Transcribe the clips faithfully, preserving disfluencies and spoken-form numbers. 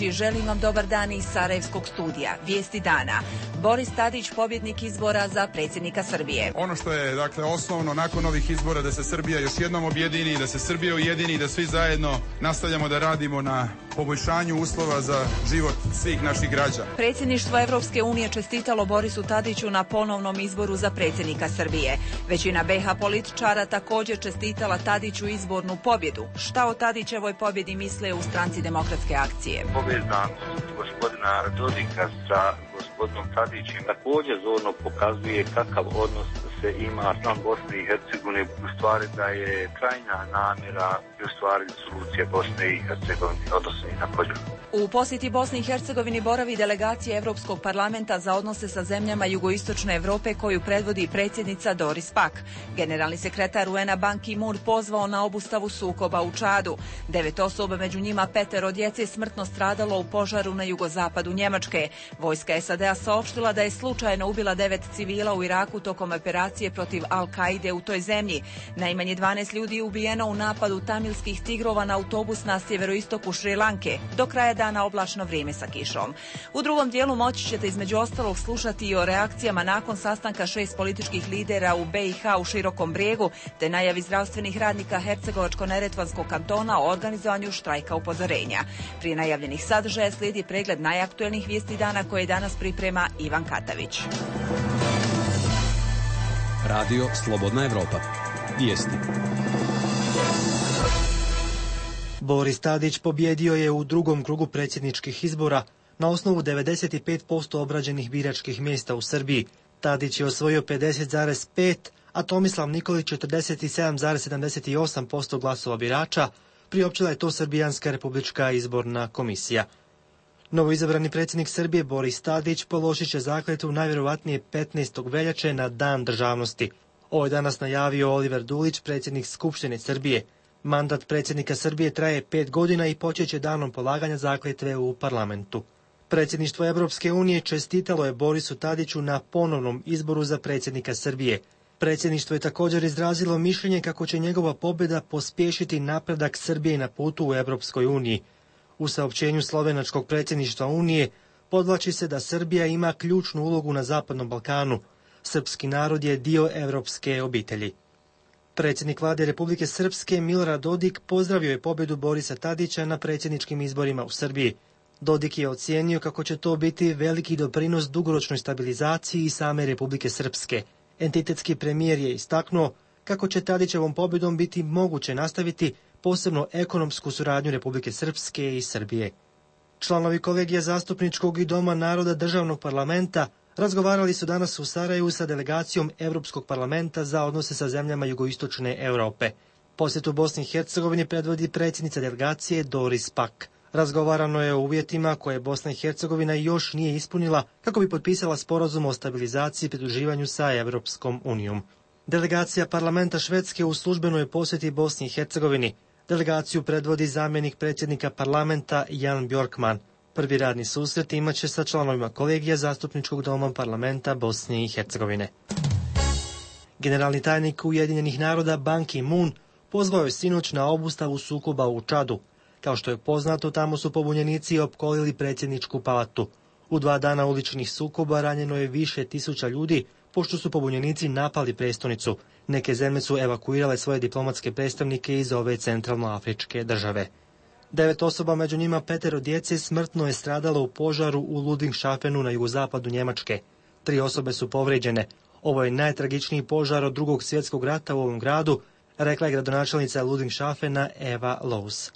I želim vam dobar dan iz Sarajevskog studija. Vijesti dana. Boris Tadić, pobjednik izbora za predsjednika Srbije. Ono što je, dakle, osnovno nakon ovih izbora da se Srbija još jednom objedini, da se Srbija ujedini i da svi zajedno nastavljamo da radimo na poboljšanju uslova za život svih naših građana. Predsjedništvo Evropske unije čestitalo Borisu Tadiću na ponovnom izboru za predsjednika Srbije. Većina be ha političara također čestitala Tadiću izbornu pobjedu. Šta o Tadićevoj pobjedi misle u Stranci demokratske akcije? Povezanost gospodina Dodika sa gospodinom Tadićem također zorno pokazuje kakav odnos se ima sam Bosne i Hercegovine, u stvari da je krajnja namjera i u stvari solucija Bosne i Hercegovine, odnosno i na podjelu. U posjeti Bosni i Hercegovini boravi delegacija Europskog parlamenta za odnose sa zemljama jugoistočne Europe koju predvodi predsjednica Doris Pack. Generalni sekretar u en a Ban Ki-moon pozvao na obustavu sukoba u Čadu. Devet osoba, među njima petero djece, smrtno stradalo u požaru na jugozapadu Njemačke. Vojska es a de a saopštila da je slučajno ubila devet civila u Iraku tokom operacije protiv Al-Kaide u toj zemlji. Najmanje dvanaest ljudi je ubijeno u napadu tamilskih tigrova na autobus na sjeveroistoku Šrilanke. Do kraja dana oblačno vrijeme sa kišom. U drugom dijelu moći ćete između ostalog slušati i o reakcijama nakon sastanka šest političkih lidera u be i ha u Širokom Brijegu, te najavi zdravstvenih radnika Hercegovačko-neretvanskog kantona o organizovanju štrajka upozorenja. Prije najavljenih sadržaja slijedi pregled najaktuelnijih vijesti dana koje danas priprema Ivan Katavić. Radio Slobodna Evropa. Vijesti. Boris Tadić pobjedio je u drugom krugu predsjedničkih izbora na osnovu devedeset pet posto obrađenih biračkih mjesta u Srbiji. Tadić je osvojio pedeset zarez pet, a Tomislav Nikolić četrdeset sedam zarez sedamdeset osam posto glasova birača, priopćila je to Srbijanska republička izborna komisija. Novoizabrani predsjednik Srbije Boris Tadić položit će zakletvu najvjerovatnije petnaestog veljače na Dan državnosti. Ovo je danas najavio Oliver Dulić, predsjednik Skupštine Srbije. Mandat predsjednika Srbije traje pet godina i počeće danom polaganja zakletve u parlamentu. Predsjedništvo Evropske unije čestitalo je Borisu Tadiću na ponovnom izboru za predsjednika Srbije. Predsjedništvo je također izrazilo mišljenje kako će njegova pobjeda pospješiti napredak Srbije na putu u Evropskoj uniji. U saopćenju slovenačkog predsjedništva Unije podvlači se da Srbija ima ključnu ulogu na Zapadnom Balkanu. Srpski narod je dio evropske obitelji. Predsjednik vlade Republike Srpske Milorad Dodik pozdravio je pobjedu Borisa Tadića na predsjedničkim izborima u Srbiji. Dodik je ocijenio kako će to biti veliki doprinos dugoročnoj stabilizaciji i same Republike Srpske. Entitetski premijer je istaknuo kako će Tadićevom pobjedom biti moguće nastaviti posebno ekonomsku suradnju Republike Srpske i Srbije. Članovi kolegija zastupničkog i Doma naroda državnog parlamenta razgovarali su danas u Sarajevu sa delegacijom Europskog parlamenta za odnose sa zemljama jugoistočne Europe. Posjetu Bosni i Hercegovini predvodi predsjednica delegacije Doris Pack. Razgovarano je o uvjetima koje Bosna i Hercegovina još nije ispunila kako bi potpisala sporazum o stabilizaciji i pridruživanju sa Europskom unijom. Delegacija parlamenta Švedske u službenoj posjeti Bosni i Hercegovini. Delegaciju predvodi zamjenik predsjednika parlamenta Jan Bjorkman. Prvi radni susret imaće sa članovima kolegija zastupničkog doma parlamenta Bosne i Hercegovine. Generalni tajnik Ujedinjenih naroda Ban Ki-moon pozvao je sinoć na obustavu sukoba u Čadu. Kao što je poznato, tamo su pobunjenici opkolili predsjedničku palatu. U dva dana uličnih sukoba ranjeno je više tisuća ljudi, pošto su pobunjenici napali prestonicu. Neke zemlje su evakuirale svoje diplomatske predstavnike iz ove centralnoafričke države. Devet osoba, među njima petero djece, smrtno je stradalo u požaru u Ludwigshafenu na jugozapadu Njemačke. Tri osobe su povrijeđene. Ovo je najtragičniji požar od drugog svjetskog rata u ovom gradu, rekla je gradonačelnica Ludwigshafena Eva Loos.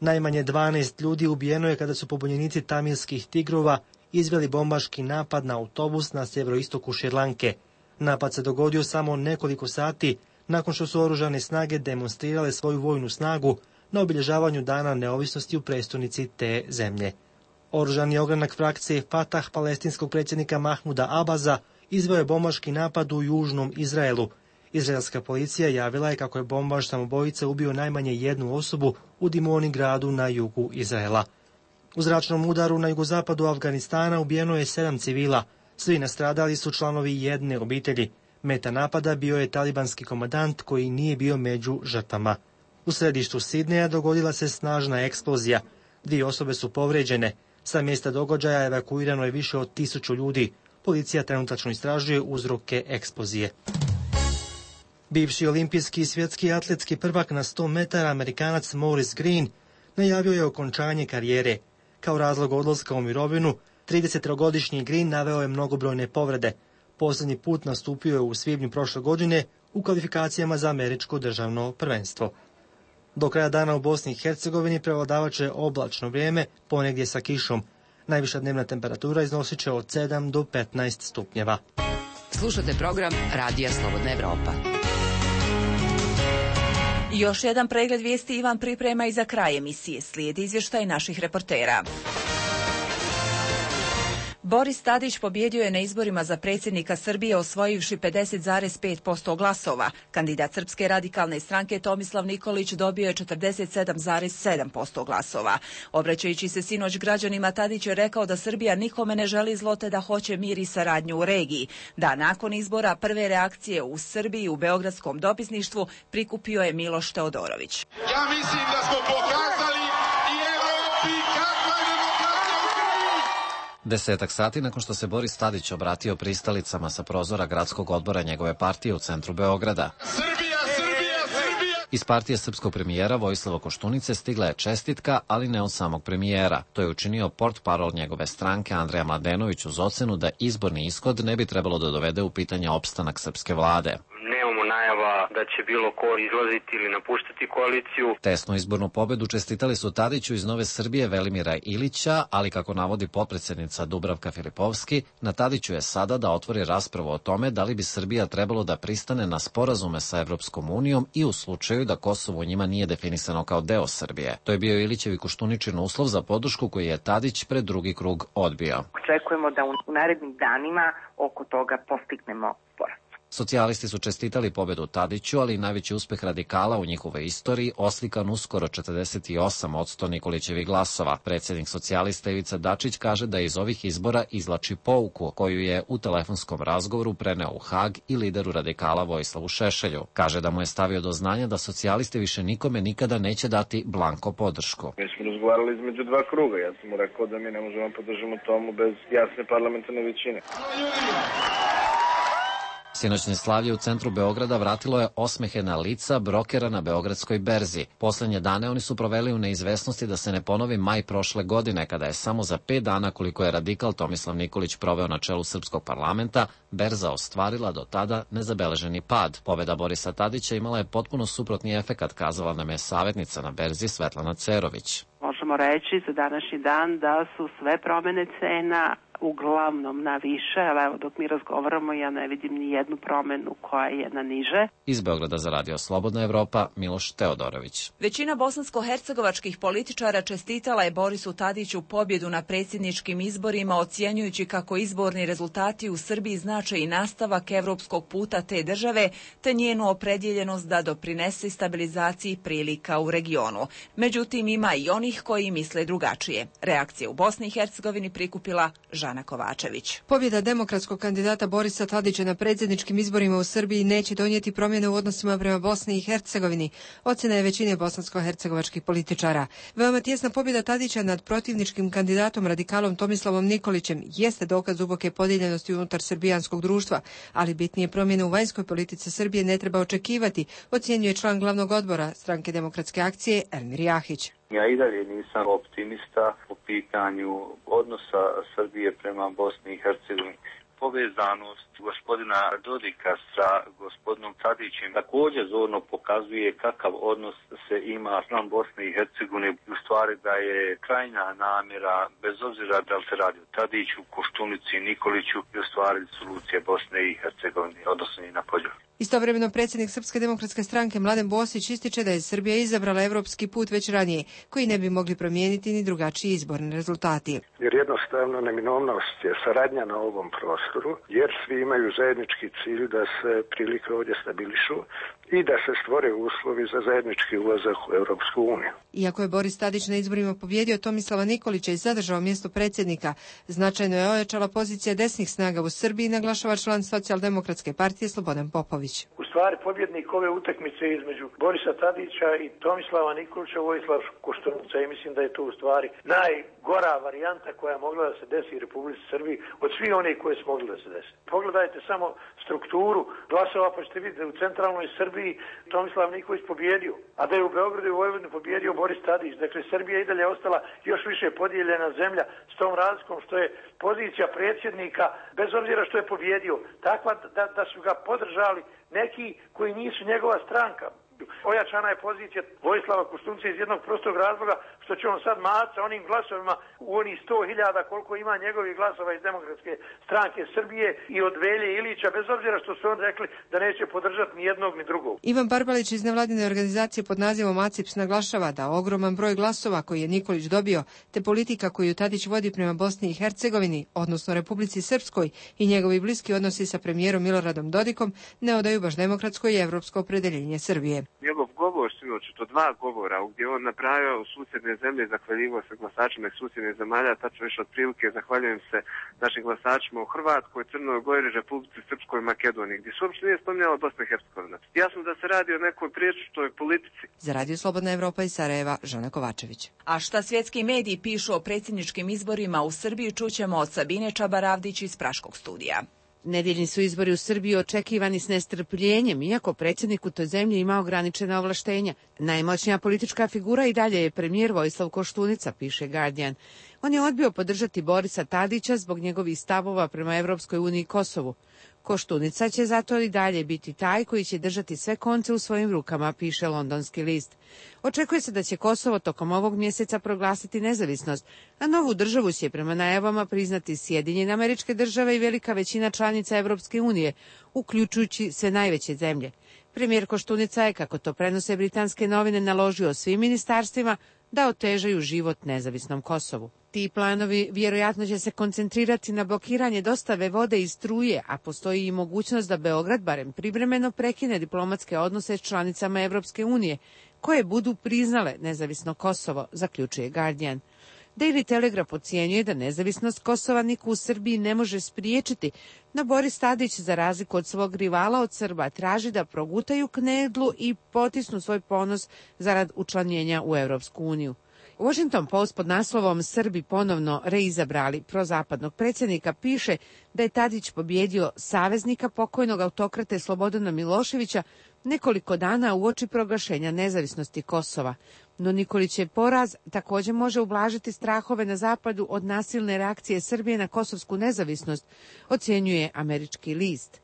Najmanje dvanaest ljudi ubijeno je kada su pobunjenici tamilskih tigrova izveli bombaški napad na autobus na sjeveroistoku Šrilanke. Napad se dogodio samo nekoliko sati nakon što su oružane snage demonstrirale svoju vojnu snagu na obilježavanju Dana neovisnosti u prestonici te zemlje. Oružani ogranak frakcije Fatah palestinskog predsjednika Mahmuda Abaza izveo je bombaški napad u južnom Izraelu. Izraelska policija javila je kako je bombaš samobojica ubio najmanje jednu osobu u Dimoni gradu na jugu Izraela. U zračnom udaru na jugozapadu Afganistana ubijeno je sedam civila. Svi nastradali su članovi jedne obitelji. Meta napada bio je talibanski komandant koji nije bio među žrtvama. U središtu Sidneja dogodila se snažna eksplozija. Dvije osobe su povrijeđene. Sa mjesta događaja evakuirano je više od tisuću ljudi. Policija trenutačno istražuje uzroke eksplozije. Bivši olimpijski i svjetski atletski prvak na sto metara Amerikanac Maurice Green najavio je okončanje karijere. Kao razlog odlaska u mirovinu, tridesettrogodišnji Green naveo je mnogobrojne povrede. Posljednji put nastupio je u svibnju prošle godine u kvalifikacijama za američko državno prvenstvo. Do kraja dana u Bosni i Hercegovini prevladavat će oblačno vrijeme, ponegdje sa kišom. Najviša dnevna temperatura iznosit će od sedam do petnaest stupnjeva. Slušate program Radija Slobodna Evropa. Još jedan pregled vijesti Ivan priprema i za kraj emisije. Slijedi izvještaj naših reportera. Boris Tadić pobjedio je na izborima za predsjednika Srbije osvojivši pedeset zarez pet posto glasova. Kandidat Srpske radikalne stranke Tomislav Nikolić dobio je četrdeset sedam zarez sedam posto glasova. Obraćajući se sinoć građanima, Tadić je rekao da Srbija nikome ne želi zlo te da hoće mir i saradnju u regiji. Da nakon izbora prve reakcije u Srbiji u beogradskom dopisništvu prikupio je Miloš Teodorović. Ja mislim da smo pokazali i Evropi kakva je demokratija u Srbiji. Desetak sati nakon što se Boris Tadić obratio pristalicama sa prozora gradskog odbora njegove partije u centru Beograda. Srbija, Srbija, Srbija! Iz partije srpskog premijera Vojislava Koštunice stigla je čestitka, ali ne od samog premijera. To je učinio portparol njegove stranke Andreja Mladenović uz ocenu da izborni ishod ne bi trebalo da dovede u pitanje opstanak srpske vlade. Nemamo najava da će bilo ko izlaziti ili napuštati koaliciju. Tesnu izbornu pobedu čestitali su Tadiću iz Nove Srbije Velimira Ilića, ali kako navodi potpredsjednica Dubravka Filipovski, na Tadiću je sada da otvori raspravu o tome da li bi Srbija trebalo da pristane na sporazume sa Evropskom unijom i u slučaju da Kosovo njima nije definisano kao deo Srbije. To je bio Ilićev i Koštuničin uslov za podršku koji je Tadić pred drugi krug odbio. Očekujemo da u narednim danima oko toga postignemo sporazum. Socijalisti su čestitali pobedu Tadiću, ali i najveći uspeh radikala u njihovoj istoriji oslikan uskoro četrdeset osam posto Nikolićevih glasova. Predsjednik socijalista Ivica Dačić kaže da iz ovih izbora izvlači pouku koju je u telefonskom razgovoru preneo u Hag i lideru radikala Vojislavu Šešelju. Kaže da mu je stavio do znanja da socijalisti više nikome nikada neće dati blanko podršku. Mi smo razgovarali između dva kruga. Ja sam mu rekao da mi ne možemo podržimo tomu bez jasne parlamentarne većine. Sinoćne slavlje u centru Beograda vratilo je osmehe na lica brokera na Beogradskoj berzi. Poslednje dane oni su proveli u neizvesnosti da se ne ponovi maj prošle godine, kada je samo za pet dana, koliko je radikal Tomislav Nikolić proveo na čelu srpskog parlamenta, berza ostvarila do tada nezabeleženi pad. Pobeda Borisa Tadića imala je potpuno suprotni efekat, kazala nam je savjetnica na berzi Svetlana Cerović. Možemo reći za današnji dan da su sve promjene cena uglavnom na više, ali evo dok mi razgovaramo ja ne vidim ni jednu promjenu koja je na niže. Iz Beograda za Radio Slobodna Evropa, Miloš Teodorović. Većina bosansko-hercegovačkih političara čestitala je Borisu Tadiću pobjedu na predsjedničkim izborima, ocjenjujući kako izborni rezultati u Srbiji znače i nastavak evropskog puta te države, te njenu opredjeljenost da doprinese stabilizaciji prilika u regionu. Međutim, ima i onih koji misle drugačije. Reakcije u Bosni i Hercegovini prikupila Žana Kovačević. Pobjeda demokratskog kandidata Borisa Tadića na predsjedničkim izborima u Srbiji neće donijeti promjene u odnosima prema Bosni i Hercegovini, ocjena je većine bosansko-hercegovačkih političara. Veoma tjesna pobjeda Tadića nad protivničkim kandidatom radikalom Tomislavom Nikolićem jeste dokaz duboke podijeljenosti unutar srbijanskog društva, ali bitnije promjene u vanjskoj politici Srbije ne treba očekivati, ocjenjuje član glavnog odbora Stranke demokratske akcije Elmir Jahić. Ja i dalje nisam optimista po pitanju odnosa Srbije prema Bosni i Hercegovini. Povezanost gospodina Dodika sa gospodinom Tadićem također zorno pokazuje kakav odnos se ima spram Bosne i Hercegovine. U stvari da je krajnja namjera, bez obzira da li se radi o Tadiću, Koštunici, Nikoliću, i u stvari solucija Bosne i Hercegovine, odnosno i na podjelu. Istovremeno predsjednik Srpske demokratske stranke Mladen Bosić ističe da je Srbija izabrala evropski put već ranije, koji ne bi mogli promijeniti ni drugačiji izborni rezultati. Jer jednostavno neminovnost je saradnja na ovom prostoru, jer svi imaju zajednički cilj da se prilike ovdje stabilišu i da se stvore uslovi za zajednički ulazak u Europsku uniju. Iako je Boris Tadić na izborima pobjedio Tomislava Nikolića i zadržao mjesto predsjednika, značajno je ojačala pozicija desnih snaga u Srbiji, naglašava član Socijaldemokratske partije Slobodan Popović. U stvari pobjednik ove utakmice između Borisa Tadića i Tomislava Nikolića, Vojislav Koštunica, i mislim da je to u stvari najgora varijanta koja je mogla da se desi u Republici Srbiji od svih onih koje su mogli da se desi. Pogledajte samo strukturu glasova pa ćete vidjeti da u centralnoj Srbiji Tomislav Nikolić pobjedio, a da je u Beogradu i Vojvodini pobjedio Boris Tadić. Dakle, Srbija je i dalje ostala još više podijeljena zemlja s tom razlikom što je pozicija predsjednika, bez obzira što je pobjedio, takva da, da su ga podržali neki koji nisu njegova stranka. Ojačana je pozicija Vojislava Koštunca iz jednog prostog razloga što će on sad maca onim glasovima u onih sto hiljada koliko ima njegovih glasova iz Demokratske stranke Srbije i od Velje Ilića, bez obzira što su on rekli da neće podržati ni jednog ni drugog. Ivan Barbalić iz nevladine organizacije pod nazivom ACIPS naglašava da ogroman broj glasova koji je Nikolić dobio, te politika koju Tadić vodi prema Bosni i Hercegovini, odnosno Republici Srpskoj, i njegovi bliski odnosi sa premijerom Miloradom Dodikom ne odaju baš demokratsko i evropsko opredeljenje Srbije. Njegov govor sinoć, to dva govora, gdje on napravio u susjedne zemlje, zahvaljivao se glasačima iz susjednih zemalja, tačno više otprilike zahvaljujem se našim glasačima u Hrvatskoj, Crnoj Gori, Republici Srpskoj i Makedoniji, gdje se uopšte nije spominjala Bosna i Hercegovina. Jasno da se radi o nekoj priječitoj politici. Za Radio Slobodna Evropa iz Sarajeva, Žana Kovačević. A šta svjetski mediji pišu o predsjedničkim izborima u Srbiji, čućemo od Sabine Čabaravdić iz Praškog studija. Nedeljni su izbori u Srbiji očekivani s nestrpljenjem, iako predsjednik u toj zemlji ima ograničena ovlaštenja. Najmoćnija politička figura i dalje je premijer Vojislav Koštunica, piše Guardian. On je odbio podržati Borisa Tadića zbog njegovih stavova prema Evropskoj uniji i Kosovu. Koštunica će zato i dalje biti taj koji će držati sve konce u svojim rukama, piše Londonski list. Očekuje se da će Kosovo tokom ovog mjeseca proglasiti nezavisnost, a novu državu će prema najavama priznati Sjedinjene Američke Države i velika većina članica Evropske unije, uključujući sve najveće zemlje. Premijer Koštunica je, kako to prenose britanske novine, naložio svim ministarstvima da otežaju život nezavisnom Kosovu. Ti planovi vjerojatno će se koncentrirati na blokiranje dostave vode i struje, a postoji i mogućnost da Beograd barem privremeno prekine diplomatske odnose s članicama Evropske unije, koje budu priznale nezavisno Kosovo, zaključuje Guardian. Daily Telegraph ocjenjuje da nezavisnost Kosova niko u Srbiji ne može spriječiti, no Boris Tadić, za razliku od svog rivala od Srba, traži da progutaju knedlu i potisnu svoj ponos zarad učlanjenja u Evropsku uniju. Washington Post pod naslovom Srbi ponovno reizabrali prozapadnog predsjednika piše da je Tadić pobjedio saveznika pokojnog autokrate Slobodana Miloševića nekoliko dana uoči proglašenja nezavisnosti Kosova. No Nikolićev poraz također može ublažiti strahove na zapadu od nasilne reakcije Srbije na kosovsku nezavisnost, ocjenjuje američki list.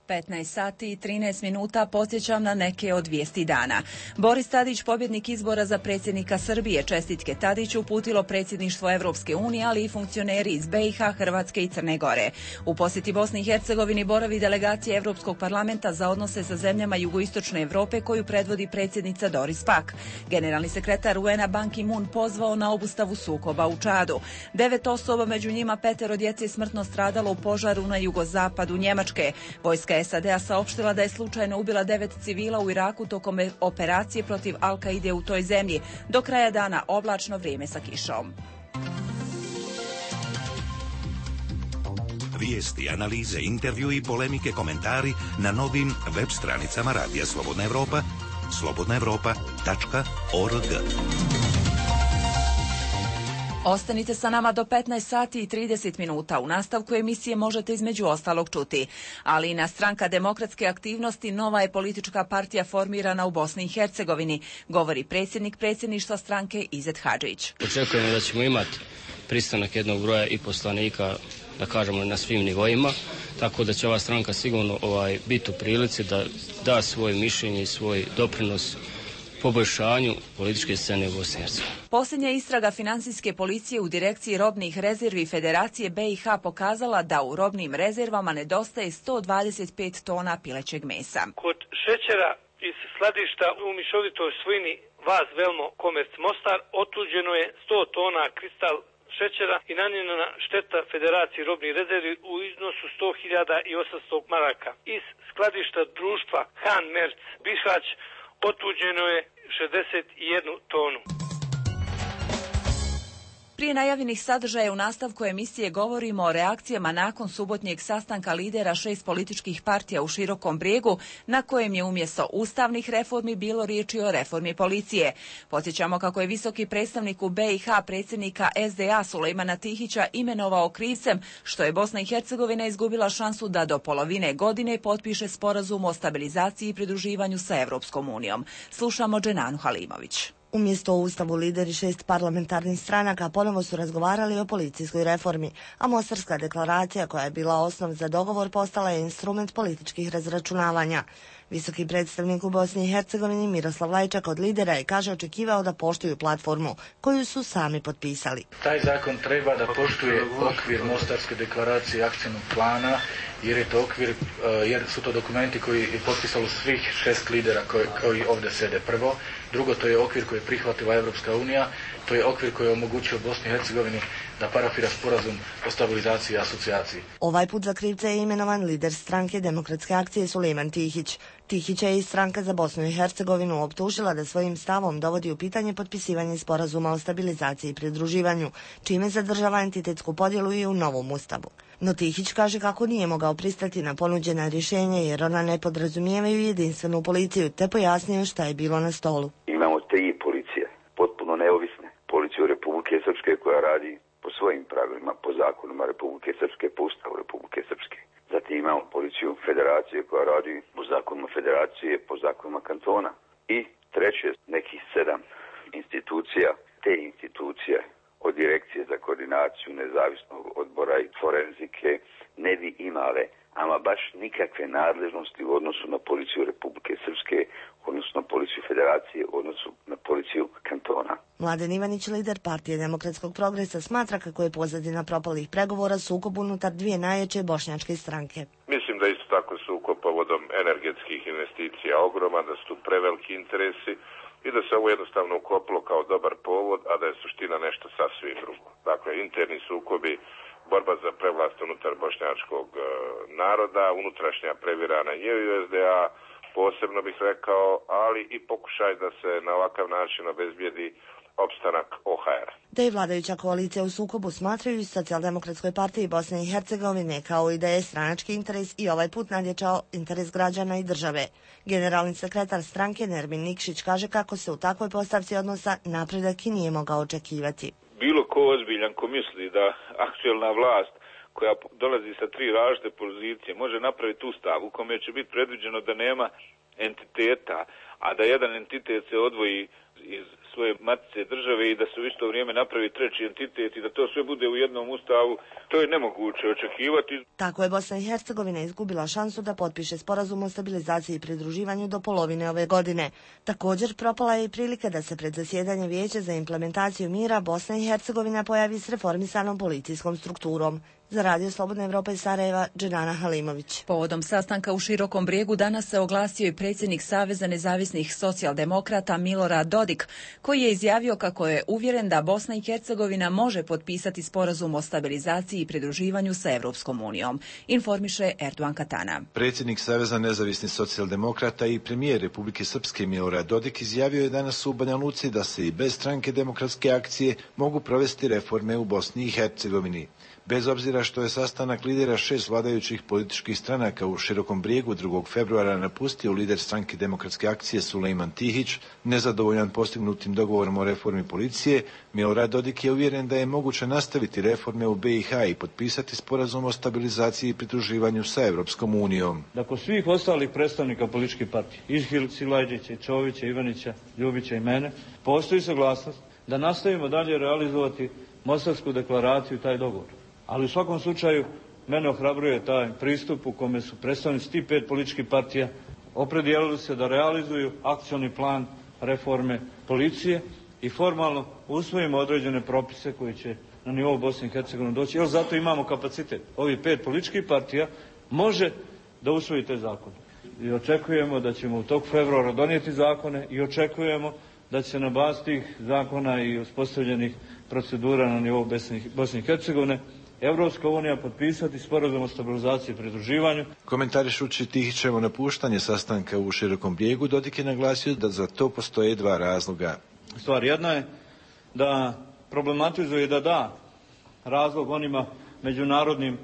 petnaest sati i trinaest minuta, podsjećam na neke od vijesti dana. Boris Tadić, pobjednik izbora za predsjednika Srbije, čestitke Tadiću uputilo predsjedništvo Evropske unije, ali i funkcioneri iz B i H, Hrvatske i Crne Gore. U posjeti Bosni i Hercegovini boravi delegacija Evropskog parlamenta za odnose sa zemljama jugoistočne Evrope koju predvodi predsjednica Doris Pack. Generalni sekretar U N a Ban Ki-moon pozvao na obustavu sukoba u Čadu. Devet osoba, među njima petero djece, smrtno stradalo u požaru na jugozapadu Njemačke. Vojska S A D-a saopštila da je slučajno ubila devet civila u Iraku tokom operacije protiv Al-Kaide u toj zemlji. Do kraja dana oblačno vrijeme sa kišom. Vijesti, analize, intervju i polemike, komentari na novim web stranicama Radija Slobodna Evropa, slobodna evropa tačka org. Ostanite sa nama do petnaest sati i trideset minuta. U nastavku emisije možete između ostalog čuti. Ali i na Stranka demokratske aktivnosti, nova je politička partija formirana u Bosni i Hercegovini, govori predsjednik predsjedništva stranke Izet Hadžić. Očekujemo da ćemo imati pristanak jednog broja i poslanika, da kažemo, na svim nivoima, tako da će ova stranka sigurno ovaj, biti u prilici da da svoje mišljenje i svoj doprinos poboljšanju političke scene u Bosni i Hercegovini. Posljednja istraga financijske policije u direkciji robnih rezervi Federacije B i H pokazala da u robnim rezervama nedostaje sto dvadeset pet tona pilećeg mesa. Kod šećera iz skladišta u mišovitoj svojini Vaz Velmo Komerc Mostar otuđeno je sto tona kristal šećera i nanijena šteta Federaciji robnih rezervi u iznosu sto hiljada osamsto maraka. Iz skladišta društva Han Merc Bihać otuđeno je šezdeset jednu tonu. Prije najavljenih sadržaja u nastavku emisije govorimo o reakcijama nakon subotnjeg sastanka lidera šest političkih partija u Širokom Brijegu, na kojem je umjesto ustavnih reformi bilo riječi o reformi policije. Podsjećamo kako je visoki predstavnik u B i H predsjednika S D A Sulejmana Tihića imenovao krivcem što je Bosna i Hercegovina izgubila šansu da do polovine godine potpiše sporazum o stabilizaciji i pridruživanju sa Europskom unijom. Slušamo Dženanu Halimović. Umjesto o Ustavu lideri šest parlamentarnih stranaka ponovo su razgovarali o policijskoj reformi, a Mostarska deklaracija koja je bila osnov za dogovor postala je instrument političkih razračunavanja. Visoki predstavnik u Bosni i Hercegovini Miroslav Lajčak od lidera je, kaže, očekivao da poštuju platformu koju su sami potpisali. Taj zakon treba da poštuje okvir Mostarske deklaracije i akcijnog plana, jer je to okvir, jer su to dokumenti koji je potpisalo svih šest lidera koji, koji ovdje sede prvo. Drugo, to je okvir koji je prihvatila Europska unija, to je okvir koji je omogućio Bosni i Hercegovini da parafira sporazum o stabilizaciji i asocijaciji. Ovaj put za krivca je imenovan lider stranke Demokratske akcije Sulejman Tihić. Tihića je i stranka za Bosnu i Hercegovinu optužila da svojim stavom dovodi u pitanje potpisivanje sporazuma o stabilizaciji i pridruživanju, čime zadržava entitetsku podjelu i u novom ustavu. No Tihić kaže kako nije mogao pristati na ponuđena rješenja jer ona ne podrazumijevaju jedinstvenu policiju, te pojasnio šta je bilo na stolu. Imamo tri policije, potpuno neovisne. Policiju Republike Srpske koja radi po svojim pravilima, po zakonima Republike Srpske, po Ustavu Republike Srpske. Zatim imamo policiju Federacije koja radi po zakonima Federacije, po zakonima kantona. I treće, nekih sedam institucija, te institucije od Direkcije za koordinaciju nezavisnog odbora i forenzike ne bi imale ama baš nikakve nadležnosti u odnosu na policiju Republike Srpske, odnosno na policiju Federacije, u odnosu na policiju kantona. Mladen Ivanić, lider Partije demokratskog progresa, smatra kako je pozadina propalih pregovora sukob unutar dvije najjače bošnjačke stranke. Mislim da isto tako sukob povodom energetskih investicija ogroman, da su tu preveliki interesi i da se ovo jednostavno uklopilo kao dobar povod, a da je suština nešto sasvim drugo. Dakle, interni sukobi, borba za prevlast unutar bošnjačkog e, naroda, unutrašnja previrana je u S D A, posebno bih rekao, ali i pokušaj da se na ovakav način obezbijedi opstanak O H R-a. Da je vladajuća koalicija u sukobu smatraju i Socijaldemokratskoj partiji Bosne i Hercegovine, kao i da je stranački interes i ovaj put nadjačao interes građana i države. Generalni sekretar stranke Nermin Nikšić kaže kako se u takvoj postavci odnosa napredak i nije mogao očekivati. Bilo ko ozbiljan ko misli da aktuelna vlast koja dolazi sa tri različite pozicije može napraviti ustav u kome će biti predviđeno da nema entiteta, a da jedan entitet se odvoji iz svoje matice države i da se u isto vrijeme napravi treći entitet i da to sve bude u jednom ustavu, to je nemoguće očekivati. Tako je Bosna i Hercegovina izgubila šansu da potpiše sporazum o stabilizaciji i pridruživanju do polovine ove godine. Također propala je i prilika da se pred zasjedanje Vijeća za implementaciju mira Bosna i Hercegovina pojavi s reformisanom policijskom strukturom. Za Radio Slobodna Evropa iz Sarajeva, Dženana Halimović. Povodom sastanka u Širokom Brijegu danas se oglasio i predsjednik Saveza nezavisnih socijaldemokrata Milorad Dodik, koji je izjavio kako je uvjeren da Bosna i Hercegovina može potpisati sporazum o stabilizaciji i pridruživanju sa Europskom unijom, informiše Erdogan Katana. Predsjednik Saveza nezavisnih socijaldemokrata i premijer Republike Srpske Milorad Dodik izjavio je danas u Banja Luci da se i bez stranke Demokratske akcije mogu provesti reforme u Bosni i Hercegovini. Bez obzira što je sastanak lidera šest vladajućih političkih stranaka u Širokom Brijegu drugog februara napustio lider stranke Demokratske akcije Sulejman Tihić, nezadovoljan postignutim dogovorom o reformi policije, Milorad Dodik je uvjeren da je moguće nastaviti reforme u B i H i potpisati sporazum o stabilizaciji i pridruživanju sa Europskom unijom. Da kod svih ostalih predstavnika političkih partija, Išhil, Silajđića, Čovića, Ivanića, Ljubića i mene, postoji saglasnost da nastavimo dalje realizovati Mostarsku deklaraciju i taj dogovor. Ali u svakom slučaju mene ohrabruje taj pristup u kome su predstavnici tih pet političkih partija opredijelili se da realizuju akcioni plan reforme policije i formalno usvojimo određene propise koji će na nivou Bosne i Hercegovine doći. Jer zato imamo kapacitet. Ovih pet političkih partija može da usvoji te zakone. I očekujemo da ćemo u tog februara donijeti zakone i očekujemo da će se na bazi tih zakona i uspostavljenih procedura na nivou Bosne i Hercegovine Evropska unija potpisati sporazum o stabilizaciji i pridruživanju. Komentarišući Tihićevo napuštanje sastanka u Širokom Brijegu, Dodik je naglasio da za to postoje dva razloga. Stvar jedna je da problematizuje da da razlog onima međunarodnim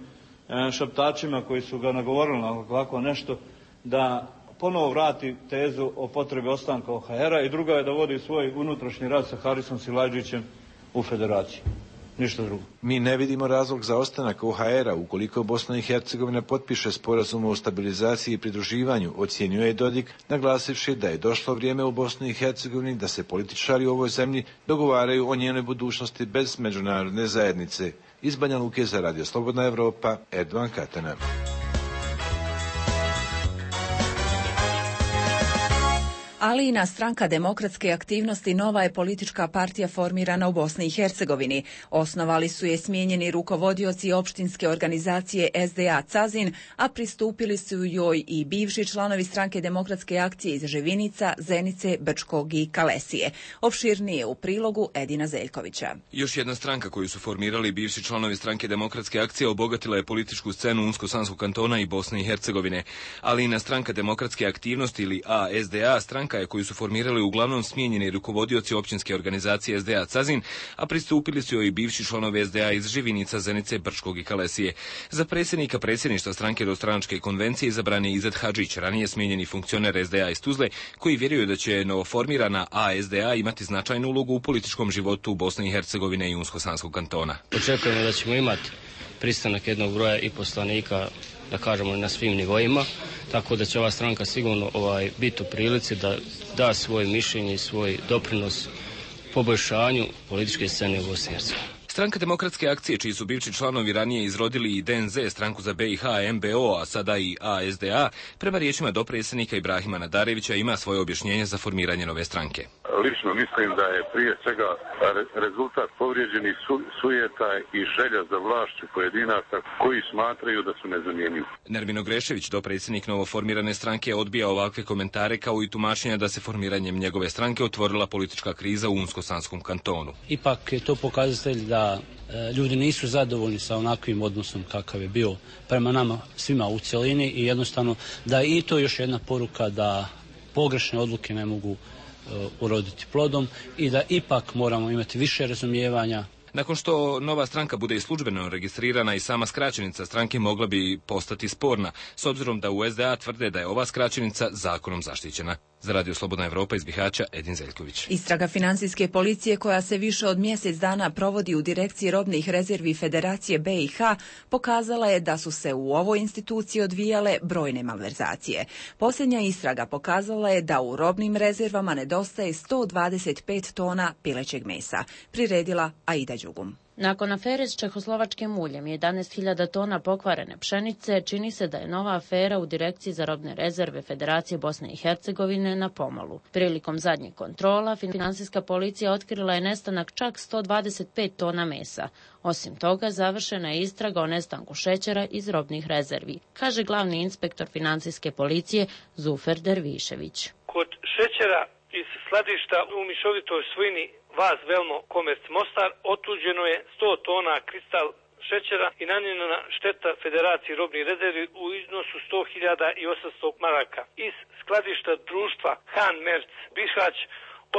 šaptačima koji su ga nagovorili na ovako nešto, da ponovo vrati tezu o potrebi ostanka O H R-a i druga je da vodi svoj unutrašnji rad sa Harisom Silajdžićem u federaciji. Ništa drugo. Mi ne vidimo razlog za ostanak O H R-a ukoliko Bosna i Hercegovina potpiše sporazum o stabilizaciji i pridruživanju, ocjenjuje Dodik, naglasivši da je došlo vrijeme u Bosni i Hercegovini da se političari u ovoj zemlji dogovaraju o njenoj budućnosti bez međunarodne zajednice. Iz Banja Luke za Radio Slobodna Evropa, Erdovan Katana. Alijina stranka demokratske aktivnosti nova je politička partija formirana u Bosni i Hercegovini. Osnovali su je smijenjeni rukovodioci opštinske organizacije S D A Cazin, a pristupili su joj i bivši članovi stranke demokratske akcije iz Ževinica, Zenice, Brčkog i Kalesije. Opširnije u prilogu Edina Zeljkovića. Još jedna stranka koju su formirali bivši članovi stranke demokratske akcije obogatila je političku scenu Unsko-Sanskog kantona i Bosne i Hercegovine. Alijina stranka demokratske aktivnosti ili A S D A stranka je koju su formirali uglavnom smijenjeni rukovodioci općinske organizacije S D A Cazin, a pristupili su joj i bivši članovi S D A iz Živinica, Zenice, Brčkog i Kalesije. Za predsjednika predsjedništva stranke do stranačke konvencije izabran je Izet Hadžić, ranije smijenjeni funkcioner S D A iz Tuzle, koji vjeruju da će novoformirana A S D A imati značajnu ulogu u političkom životu Bosne i Hercegovine i Unsko-Sanskog kantona. Očekujemo da ćemo imati pristanak jednog broja i poslanika, da kažemo, na svim nivoima, tako da će ova stranka sigurno ovaj, biti u prilici da da svoje mišljenje i svoj doprinos poboljšanju političke scene u Bosni i Hercegovini. Stranka demokratske akcije, čiji su bivši članovi ranije izrodili i D N Z, stranku za B i H, M B O, a sada i A S D A, prema riječima dopredsjednika Ibrahima Nadarevića ima svoje objašnjenje za formiranje nove stranke. Lično mislim da je prije svega rezultat povrijeđenih su, sujeta i želja za vlašću pojedinaca koji smatraju da su nezamjenjivi. Nermino Grešević, dopredsjednik novoformirane stranke, odbija ovakve komentare kao i tumačenja da se formiranjem njegove stranke otvorila politička kriza u Unsko-Sanskom kantonu. Ipak je to pokazatelj da ljudi nisu zadovoljni sa onakvim odnosom kakav je bio prema nama svima u cjelini i jednostavno da i to još jedna poruka da pogrešne odluke ne mogu uroditi plodom i da ipak moramo imati više razumijevanja. Nakon što nova stranka bude i službeno registrirana i sama skraćenica stranke mogla bi postati sporna, s obzirom da u S D A tvrde da je ova skraćenica zakonom zaštićena. Za Radio Slobodna Evropa iz Bihaća, Edin Zeljković. Istraga financijske policije koja se više od mjesec dana provodi u direkciji robnih rezervi Federacije B i H pokazala je da su se u ovoj instituciji odvijale brojne malverzacije. Posljednja istraga pokazala je da u robnim rezervama nedostaje sto dvadeset pet tona pilećeg mesa. Priredila Aida Đugum. Nakon afere s čehoslovačkim uljem i jedanaest hiljada tona pokvarene pšenice, čini se da je nova afera u direkciji za robne rezerve Federacije Bosne i Hercegovine na pomolu. Prilikom zadnjih kontrola, finansijska policija otkrila je nestanak čak sto dvadeset pet tona mesa. Osim toga, završena je istraga o nestanku šećera iz robnih rezervi, kaže glavni inspektor financijske policije Zufer Dervišević. Kod šećera iz skladišta u mišovitoj svojini Vaz Velmo Komerc Mostar otuđeno je sto tona kristal šećera i nanijena šteta Federaciji robnih rezervi u iznosu sto hiljada osamsto maraka. Iz skladišta društva Han Merc Bihać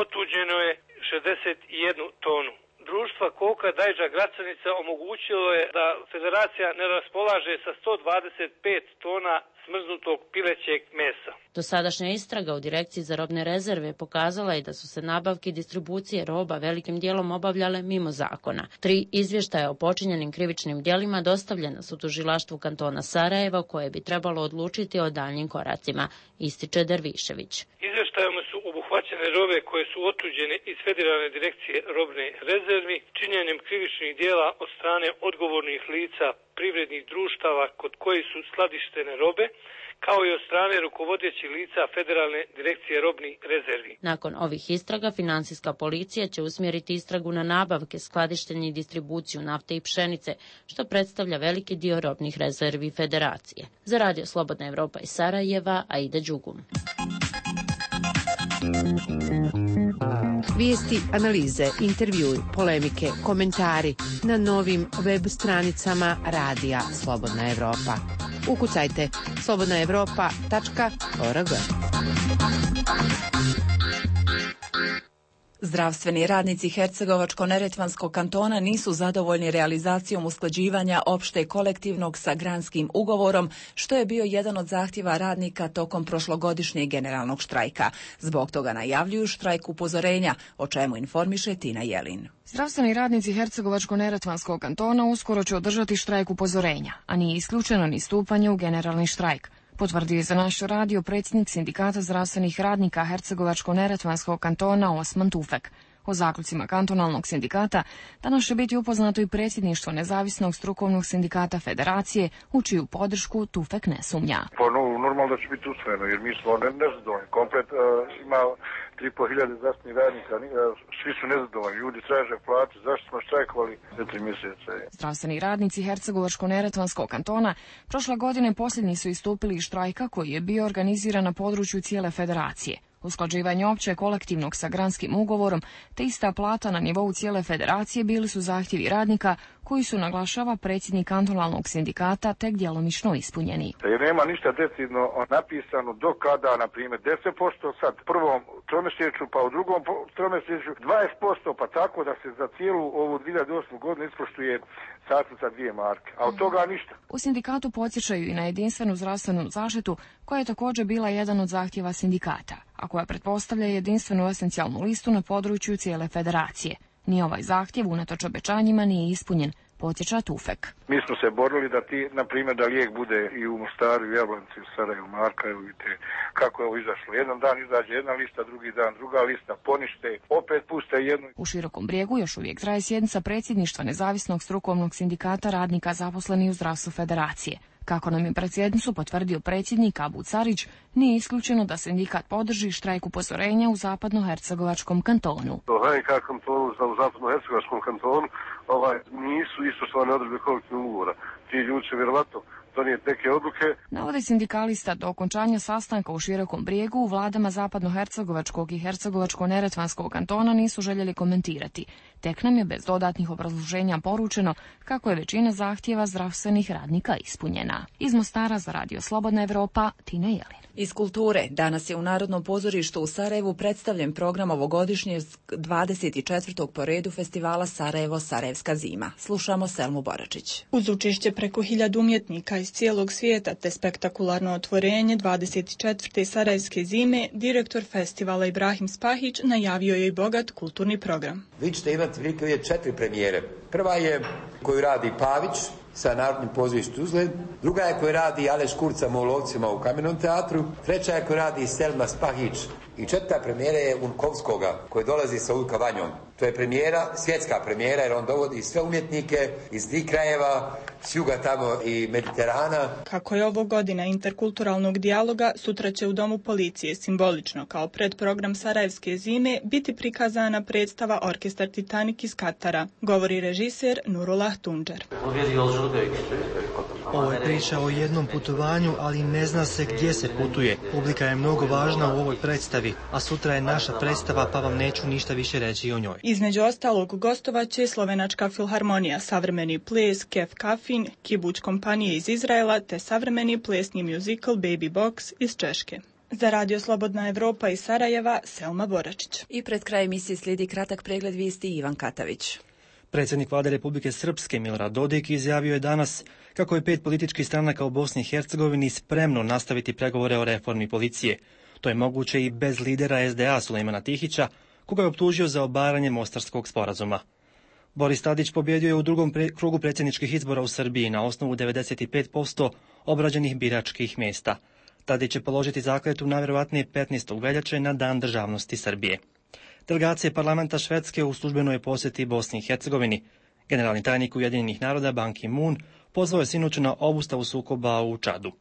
otuđeno je šezdeset jednu tonu. Društva Koka Dajđa Gracanica omogućilo je da Federacija ne raspolaže sa sto dvadeset pet tona smrznutog pilećeg mesa. Dosadašnja istraga u direkciji za robne rezerve pokazala je da su se nabavke i distribucije roba velikim dijelom obavljale mimo zakona. Tri izvještaja o počinjenim krivičnim djelima dostavljena su tužilaštvu kantona Sarajeva, koje bi trebalo odlučiti o daljnjim koracima, ističe Dervišević. Izvještajom su obuhvaćene robe koje su otuđene iz Federalne direkcije robne rezervi činjenjem krivičnih djela od strane odgovornih lica privrednih društava kod kojih su skladištene robe, kao i od strane rukovodećih lica Federalne direkcije robnih rezervi. Nakon ovih istraga, finansijska policija će usmjeriti istragu na nabavke, skladištenje i distribuciju nafte i pšenice, što predstavlja veliki dio robnih rezervi Federacije. Za Radio Slobodna Evropa iz Sarajeva, Aida Đugum. Vijesti, analize, intervjui, polemike, komentari na novim web stranicama Radija Slobodna Evropa. Ukucajte slobodna evropa tačka org. Zdravstveni radnici Hercegovačko-neretvanskog kantona nisu zadovoljni realizacijom usklađivanja opšte kolektivnog sa granskim ugovorom, što je bio jedan od zahtjeva radnika tokom prošlogodišnjeg generalnog štrajka. Zbog toga najavljuju štrajk upozorenja, o čemu informiše Tina Jelin. Zdravstveni radnici Hercegovačko-neretvanskog kantona uskoro će održati štrajk upozorenja, a nije isključeno ni stupanje u generalni štrajk. Potvrdio je za naš radio predsjednik Sindikata zdravstvenih radnika Hercegovačko-neretvanskog kantona Osman Tufek. O zaključcima kantonalnog sindikata danas će biti upoznato i predsjedništvo nezavisnog strukovnog sindikata federacije, u čiju podršku Tufek ne sumnja. Pa no, normalno da će biti usvojeno, jer mi smo nezadovoljni. Komplet uh, ima tri i po hiljade zdravstvenih radnika, uh, svi su nezadovoljni, ljudi traže platu, zašto smo štrajkovali za tri mjeseca. Zdravstveni radnici Hercegovačko-neretvanskog kantona prošle godine posljednji su istupili iz štrajka koji je bio organiziran na području cijele federacije. Usklađivanje opće kolektivnog sa granskim ugovorom te ista plata na nivou cijele federacije bili su zahtjevi radnika koji su, naglašava predsjednik kantonalnog sindikata, tek djelomično ispunjeni. Jer nema ništa decidno napisano do kada, na primjer, deset posto sad prvom tromjesečju, pa u drugom tromjesečju dvadeset posto, pa tako da se za cijelu ovu dvije hiljade osmu godinu ispoštuje satnica dvije marke, a od toga ništa. U sindikatu podsjećaju i na jedinstvenu zdravstvenu zaštitu, koja je također bila jedan od zahtjeva sindikata, a koja pretpostavlja jedinstvenu esencijalnu listu na području cijele federacije. Ni ovaj zahtjev unatoč obećanjima nije ispunjen, podsjeća Tufek. Mi smo se borili da ti, na primjer, da lijek bude i u Mostaru, i u Jablanici, u Sarajevu, Marka, i vidite kako je ovo izašlo. Jedan dan izađe jedna lista, drugi dan druga lista, ponište, opet puste jednu. U Širokom Brijegu još uvijek traje sjednica predsjedništva nezavisnog strukovnog sindikata radnika zaposlenih u zdravstvu federacije. Kako nam je predsjednicu potvrdio predsjednik Abu Carić, nije isključeno da sindikat podrži štrajk upozorenja u zapadnohercegovačkom kantonu. Ovaj kantonu, u zapadnohercegovačkom kantonu ovaj, nisu ispoštovane odredbe kolektivnog ugovora. Ti ljudi će vjerovatno donijeti neke odluke. Navodi sindikalista, do okončanja sastanka u Širokom Brijegu u vladama zapadnohercegovačkog i hercegovačko-neretvanskog kantona nisu željeli komentirati. Tek nam je bez dodatnih obrazloženja poručeno kako je većina zahtjeva zdravstvenih radnika ispunjena. Iz Mostara za Radio Slobodna Evropa, Tina Jelin. Iz kulture, danas je u Narodnom pozorištu u Sarajevu predstavljen program ovogodišnjeg dvadeset četvrtog po redu festivala Sarajevo Sarajevska zima. Slušamo Selmu Boračić. Uz učešće preko hiljadu umjetnika iz cijelog svijeta te spektakularno otvorenje dvadeset četvrte Sarajevske zime, direktor festivala Ibrahim Spahić najavio je i bogat kulturni program. Vi ćete imati velike četiri premijere. Prva je koju radi Pavić sa Narodnim pozorištem Tuzle, druga je koju radi Aleš Kurca Molovcima u Kamenom teatru, treća je koju radi Selma Spahić i četvrta premijera je Unkovskoga koji dolazi sa Ulka Vanjom. To je premijera, svjetska premijera, jer on dovodi sve umjetnike iz tih krajeva, s juga tamo i Mediterana. Kako je ovo godina interkulturalnog dijaloga, sutra će u Domu policije simbolično kao predprogram Sarajevske zime biti prikazana predstava Orkestar Titanik iz Katara, govori režiser Nurullah Tunđer. Ovo je priča o jednom putovanju, ali ne zna se gdje se putuje. Publika je mnogo važna u ovoj predstavi, a sutra je naša predstava, pa vam neću ništa više reći o njoj. Između ostalog gostovaće Slovenačka filharmonija, savremeni ples Kef Kafin, Kibuć kompanije iz Izraela te savremeni plesni muzikal Baby Box iz Češke. Za Radio Slobodna Evropa iz Sarajeva, Selma Boračić. I pred kraj emisije slijedi kratak pregled vijesti Ivan Katavić. Predsjednik vlade Republike Srpske Milorad Dodik izjavio je danas kako je pet političkih stranaka u Bosni i Hercegovini spremno nastaviti pregovore o reformi policije. To je moguće i bez lidera es de a Sulejmana Tihića, koga je optužio za obaranje Mostarskog sporazuma. Boris Tadić pobjedio je u drugom pre- krugu predsjedničkih izbora u Srbiji na osnovu devedeset pet posto obrađenih biračkih mjesta. Tadić će položiti zakletvu najvjerojatnije petnaestog veljače na Dan državnosti Srbije. Delegacije parlamenta Švedske u službenoj posjeti Bosni i Hercegovini. Generalni tajnik Ujedinjenih naroda Ban Ki-moon pozvao je sinoć na obustavu sukoba u Čadu.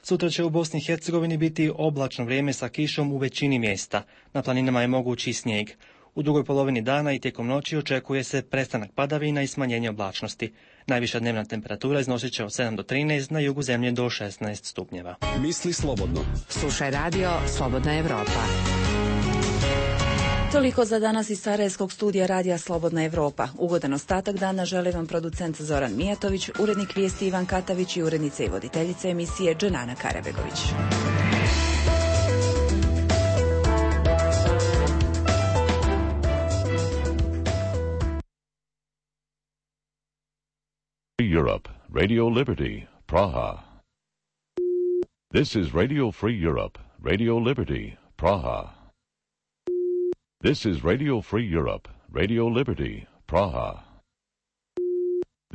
Sutra će u Bosni i Hercegovini biti oblačno vrijeme sa kišom u većini mjesta. Na planinama je mogući snijeg. U drugoj polovini dana i tijekom noći očekuje se prestanak padavina i smanjenje oblačnosti. Najviša dnevna temperatura iznosit će od sedam do trinaest, na jugu zemlje do šesnaest stupnjeva. Misli slobodno. Slušaj radio Slobodna Evropa. Toliko za danas iz Sarajevskog studija Radija Slobodna Evropa. Ugodan ostatak dana želi vam producent Zoran Mijatović, urednik vijesti Ivan Katavić i urednica i voditeljica emisije Dženana Karabegović. Europe, Radio Liberty, Praha. This is Radio Free Europe, Radio Liberty, Praha. This is Radio Free Europe, Radio Liberty, Praha.